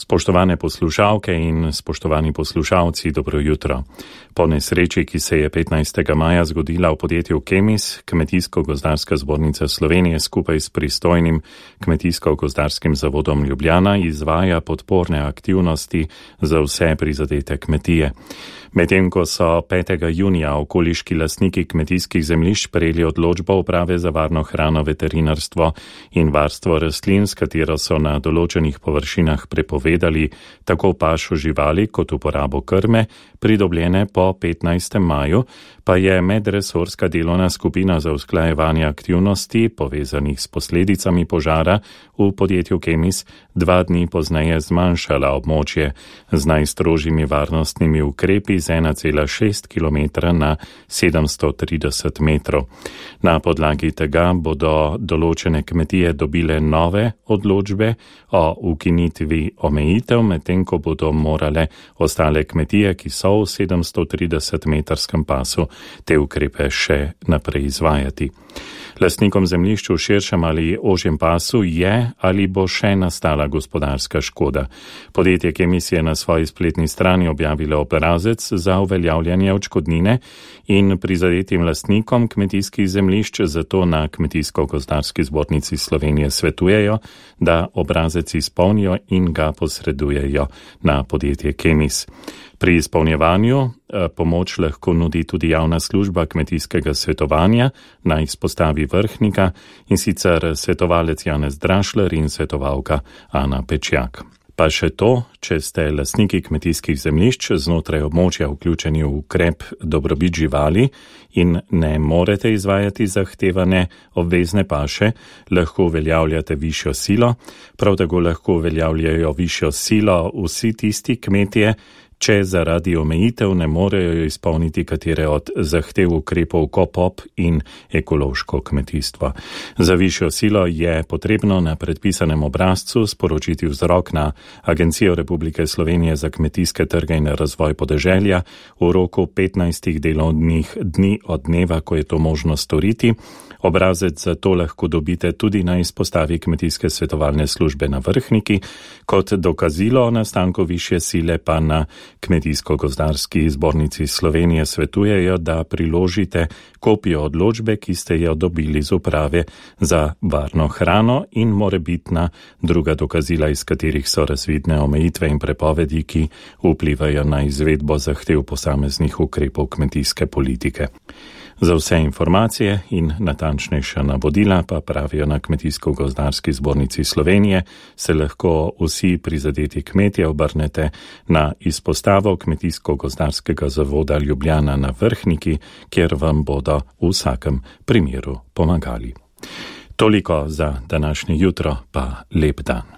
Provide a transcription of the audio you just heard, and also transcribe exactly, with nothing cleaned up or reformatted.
Spoštovane poslušalke in spoštovani poslušalci, dobro jutro. Po nesreči, ki se je petnajstega maja zgodila v podjetju Kemis, Kmetijsko-gozdarska zbornica Slovenije skupaj s pristojnim Kmetijsko-gozdarskim zavodom Ljubljana izvaja podporne aktivnosti za vse prizadete kmetije. Medtem ko so petega junija okoliški lastniki kmetijskih zemljišč prejeli odločbo uprave za varno hrano, veterinarstvo in varstvo rastlin, s katero so na določenih površinah prepovedali tako pašo živali kot uporabo krme, pridobljene po petnajstem maju, pa je medresorska delovna skupina za usklajevanje aktivnosti povezanih s posledicami požara v podjetju Kemis dva dni pozneje zmanjšala območje z najstrožjimi varnostnimi ukrepi z ena cela šest kilometra na sedemsto trideset metrov. Na podlagi tega bodo določene kmetije dobile nove odločbe o ukinitvi omejitev, medtem ko bodo morale ostale kmetije, ki so v sedemsto trideset metrskem pasu, te ukrepe še naprej izvajati. Lastnikom zemljišč v širšem ali ožjem pasu je ali bo še nastala gospodarska škoda. Podjetje Kemis je na svoji spletni strani objavilo obrazec za uveljavljanje odškodnine in prizadetim lastnikom kmetijskih zemljišč zato na Kmetijsko-gozdarski zbornici Slovenije svetujejo, da obrazec izpolnijo in ga posredujejo na podjetje Kemis. Pri izpolnjevanju pomoč lahko nudi tudi javna služba kmetijskega svetovanja na izpostavi Vrhnika, in sicer svetovalec Janez Drašler in svetovalka Ana Pečjak. Pa še to, če ste lastniki kmetijskih zemljišč znotraj območja vključeni v ukrep dobrobit živali in ne morete izvajati zahtevane obvezne paše, lahko uveljavljate višjo silo, prav tako lahko uveljavljajo višjo silo vsi tisti kmetije, če zaradi omejitev ne morejo izpolniti katere od zahtev ukrepov KOPOP in ekološko kmetijstvo. Za višjo silo je potrebno na predpisanem obrazcu sporočiti vzrok na Agencijo Republike Slovenije za kmetijske trge in razvoj podeželja v roku petnajstih delovnih dni od dneva, ko je to možno storiti. Obrazec za to lahko dobite tudi na izpostavi Kmetijske svetovalne službe na Vrhniki, kot dokazilo o nastanku višje sile pa na Kmetijsko-gozdarski zbornici Slovenije svetujejo, da priložite kopijo odločbe, ki ste jo dobili z uprave za varno hrano, in morebitna druga dokazila, iz katerih so razvidne omejitve in prepovedi, ki vplivajo na izvedbo zahtev posameznih ukrepov kmetijske politike. Za vse informacije in natančnejša navodila, pa pravijo na Kmetijsko-gozdarski zbornici Slovenije, se lahko vsi prizadeti kmetje obrnete na izpostavo Kmetijsko-gozdarskega zavoda Ljubljana na Vrhniki, kjer vam bodo v vsakem primeru pomagali. Toliko za današnje jutro, pa lep dan.